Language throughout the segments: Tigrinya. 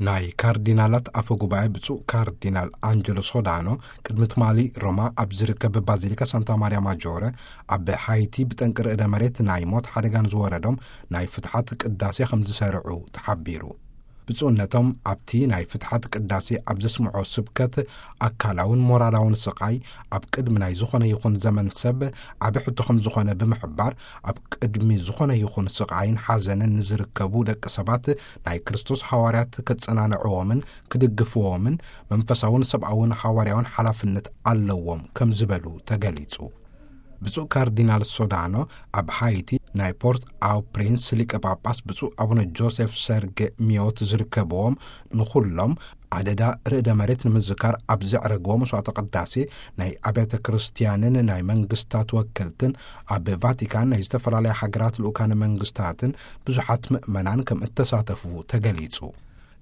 ናይ ካርዲናላት ኣፈ ጉባኤ ብፁዕ ካርዲናል ኣንጀሎ ሶዳኖ ቅድሚ ትማሊ ሮማ ኣብ ዝርከብ ባዚሊካ ሳንታ ማርያ ማጆረ ኣብ ሃይቲ ብጠንቂ ርዕደ መሬት ናይ ሞት ሓደጋ ንዝወረዶም ናይ ፍትሓት ቅዳሴ ከም ዝሰርዑ ተሓቢሩ። ብፁዕነቶም ኣብቲ ናይ ፍትሓት ቅዳሴ ኣብ ዘስምዖ ስብከት፣ ኣካላውን ሞራላውን ስቓይ ኣብ ቅድሚ ናይ ዝኾነ ይኹን ዘመን ሰብ ዓቢ ሕቶ ከም ዝኾነ ብምሕባር፣ ኣብ ቅድሚ ዝኾነ ይኹን ስቓይን ሓዘንን ንዝርከቡ ደቂ ሰባት ናይ ክርስቶስ ሃዋርያት ከጸናንዕዎምን ክድግፍዎምን መንፈሳውን ሰብኣውን ሃዋርያውን ሓላፍነት ኣለዎም ከም ዝበሉ ተገሊጹ። ብፁዕ ካርዲናል ሶዳኖ ኣብ ሃይቲ ናይ ፖርት ኣው ፕሪንስ ሊቀ ጳጳስ ብፁዕ ኣቡነ ጆሴፍ ሰርጌ ሚዮት ዝርከብዎም፣ ንኹሎም ኣደዳ ርዕደ መሬት ንምዝካር ኣብ ዘዕረግዎ መስዋዕተ ቅዳሴ ናይ ኣብያተ ክርስቲያንን ናይ መንግስታት ወከልትን፣ ኣብ ቫቲካን ናይ ዝተፈላለያ ሃገራት ልኡካነ መንግስታትን ብዙሓት ምእመናን ከም እተሳተፉ ተገሊጹ።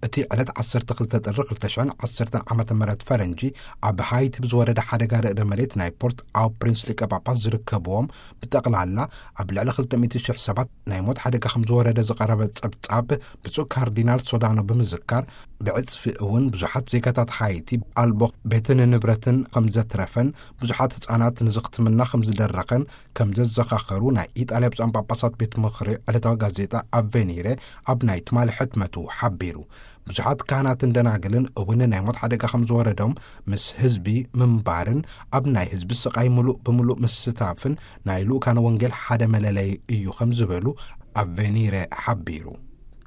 እቲ ዕለት ዓሰርተ ክልተ ጥሪ ክልተ ሽሕን ዓሰርተን ዓመተ ምህረት ፈረንጂ ኣብ ሃይቲ ብዝወረደ ሓደጋ ርዕደ መሬት ናይ ፖርት ኣው ፕሪንስ ሊቀ ጳጳስ ዝርከብዎም ብጠቕላላ ኣብ ልዕሊ ክልተ ሚእቲ ሽሕ ሰባት ናይ ሞት ሓደጋ ከም ዝወረደ ዝቐረበ ጸብጻብ ብፁዕ ካርዲናል ሶዳኖ ብምዝካር፣ ብዕጽፊ እውን ብዙሓት ዜጋታት ሃይቲ ኣልቦ ቤትን ንብረትን ከም ዘትረፈን ብዙሓት ህጻናት ንዝኽትምና ከም ዝደረኸን ከም ዘዘኻኸሩ ናይ ኢጣልያ ብፁዓን ጳጳሳት ቤት ምኽሪ ዕለታዊ ጋዜጣ ኣቬኒረ ኣብ ናይ ትማሊ ሕትመቱ ሓቢሩ። ብዙሓት ካህናትን ደናግልን እውን ናይ ሞት ሓደጋ ከም ዝወረዶም ምስ ህዝቢ ምንባርን ኣብ ናይ ህዝቢ ስቓይ ምሉእ ብምሉእ ምስታፍን ናይ ልኡካነ ወንጌል ሓደ መለለይ እዩ ከም ዝበሉ ኣቬኒረ ሓቢሩ።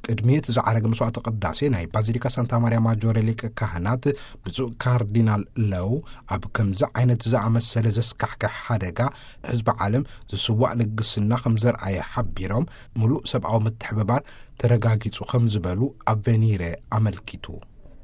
ቅድሚ እቲ ዝዓረገ መስዋዕተ ቅዳሴ ናይ ባዚሊካ ሳንታ ማርያ ማጆረ ሊቀ ካህናት ብፁዕ ካርዲናል ለው፣ ኣብ ከምዚ ዓይነት ዝኣመሰለ ዘስካሕክሕ ሓደጋ ህዝቢ ዓለም ዝስዋእ ልግስና ከም ዘርኣየ ሓቢሮም፣ ምሉእ ሰብኣዊ ምትሕብባር ተረጋጊጹ ከም ዝበሉ ኣቬኒረ ኣመልኪቱ።